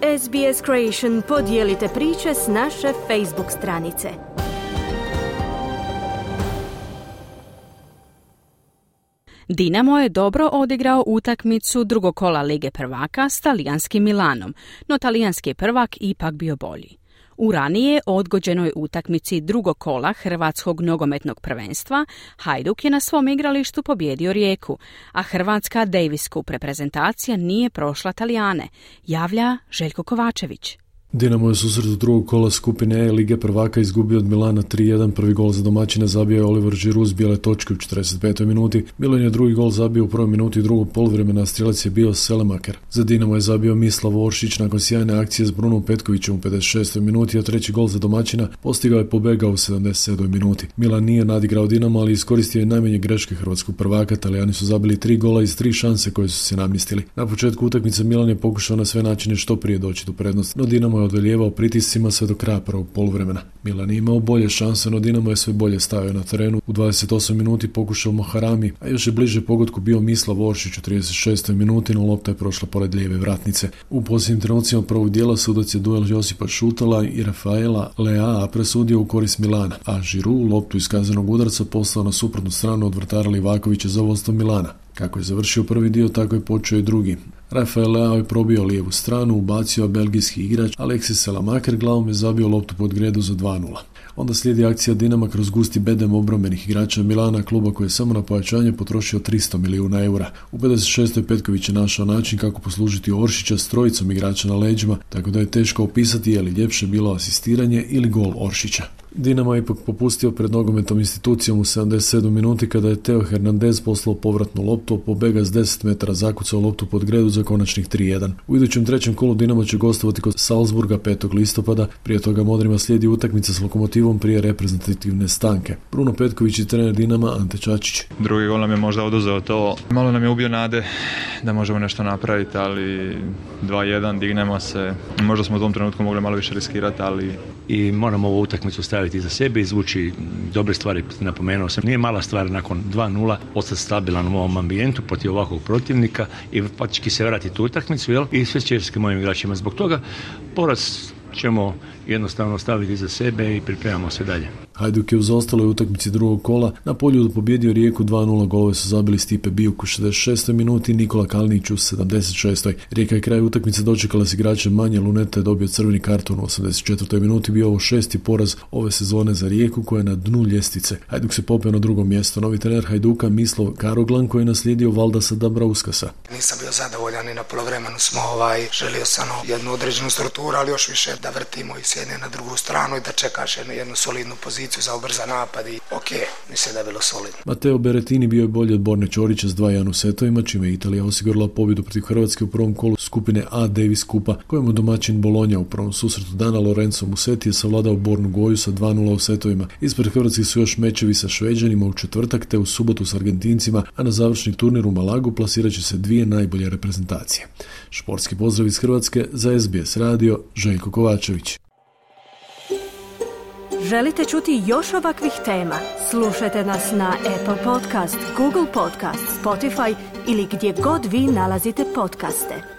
SBS Creation podijelite priče s naše Facebook stranice. Dinamo je dobro odigrao utakmicu drugog kola Lige prvaka s talijanskim Milanom, no talijanski prvak ipak bio bolji. U ranije odgođenoj utakmici drugog kola Hrvatskog nogometnog prvenstva Hajduk je na svom igralištu pobijedio Rijeku, a hrvatska Davis Cup reprezentacija nije prošla Talijane, javlja Željko Kovačević. Dinamo je susret drugog kola skupine E Lige prvaka izgubio od Milana 3-1. Prvi gol za domaćine zabio je Oliver Giroud s bijele točke u 45. minuti. Milan je drugi gol zabio u prvoj minuti drugog poluvremena, a strijelac je bio Selemaker. Za Dinamo je zabio Mislav Oršić nakon sjajne akcije s Brunom Petkovićem u 56. minuti, a treći gol za domaćina postigao je Pobega u 77. minuti. Milan nije nadigrao Dinamo, ali iskoristio je najmanje greške hrvatskog prvaka. Talijani su zabili 3 gola iz 3 šanse koje su se namjestili. Na početku utakmice Milan je pokušao na sve načine što prije doći do prednosti, no Dinamo je odolijevao pritiscima sve do kraja prvog poluvremena. Milan je imao bolje šanse, no Dinamo je sve bolje stavio na terenu. U 28 minuti pokušao Moharami, a još je bliže pogodku bio Mislav Oršić u 36. minuti, no lopta je prošla pored lijeve vratnice. U posljednjim trenucima prvog dijela sudac je duel Josipa Šutala i Rafaela Leaa presudio u korist Milana, a Giroud loptu iz kaznenog udarca poslao na suprotnu stranu od vratara Livakovića za vodstvo Milana. Kako je završio prvi dio, tako je počeo i drugi. Rafael Leao je probio lijevu stranu, ubacio belgijski igrač, Alexis Selemaker glavom je zabio loptu pod gredu za 2-0. Onda slijedi akcija Dinama kroz gusti bedem obrambenih igrača Milana, kluba koji je samo na pojačanje potrošio 300 milijuna eura. U 56. Petković je našao način kako poslužiti Oršića s trojicom igrača na leđima, tako da je teško opisati je li ljepše bilo asistiranje ili gol Oršića. Dinamo je ipak popustio pred nogometnom institucijom u 77 minuti kada je Teo Hernandez poslao povratnu loptu, a Pobega s 10 metara zakucao loptu pod gredu za konačnih 3-1. U idućem trećem kolu Dinamo će gostovati kod Salzburga 5. listopada, prije toga Modrima slijedi utakmica s Lokomotivom prije reprezentativne stanke. Bruno Petković i trener Dinama Ante Čačić. Drugi gol nam je možda oduzeo to, malo nam je ubio nade da možemo nešto napraviti, ali 2-1, dignemo se, možda smo u tom trenutku mogli malo više riskirati, ali... I moramo ovu utakmicu staviti za sebe, izvući dobre stvari, napomenuo sam. Nije mala stvar nakon 2-0 ostati stabilan u ovom ambijentu protiv ovakvog protivnika i faktički se vratiti u utakmicu, jel? I sve čestitke mojim igračima. Zbog toga poraz ćemo jednostavno staviti za sebe i pripremamo se dalje. Hajduk je u zaostaloj utakmici drugog kola na polju pobjedio Rijeku 2-0, golove su zabili Stipe Bijuk u 66. minuti i Nikola Kalinić u 76. Rijeka je kraj utakmice dočekala s igračem manje, Luneta je dobio crveni karton u 84. minuti, bio ovo 6. poraz ove sezone za Rijeku koja je na dnu ljestvice. Hajduk se popeo na drugo mjesto. Novi trener Hajduka Mislav Karoglan koji je naslijedio Valdasa Dabrauskasa. Nisam bio zadovoljan i na polovremenu smo želio sam jednu određenu strukturu, ali još više da vrtimo i s jedne na drugu stranu i da čekaš jednu solidnu poziciju za ubrzan napad i mislim da je bilo solidno. Matteo Berrettini bio je bolji od Borne Ćorića s 2-1 u setovima, čime je Italija osigurala pobjedu protiv Hrvatske u prvom kolu skupine A Davis Cupa, kojemu domaćin Bologna u prvom susretu dana Lorenzo Musetti je savladao Bornu Goju sa 2-0 u setovima. Ispred Hrvatskih su još mečevi sa Šveđanima u četvrtak te u subotu s Argentincima, a na završni turnir u Malagu plasirat će se dvije najbolje reprezentacije. Športski pozdrav iz Hrvatske za SBS radio, Željko Kovačević. Želite čuti još ovakvih tema? Slušajte nas na Apple Podcast, Google Podcast, Spotify ili gdje god vi nalazite podcaste.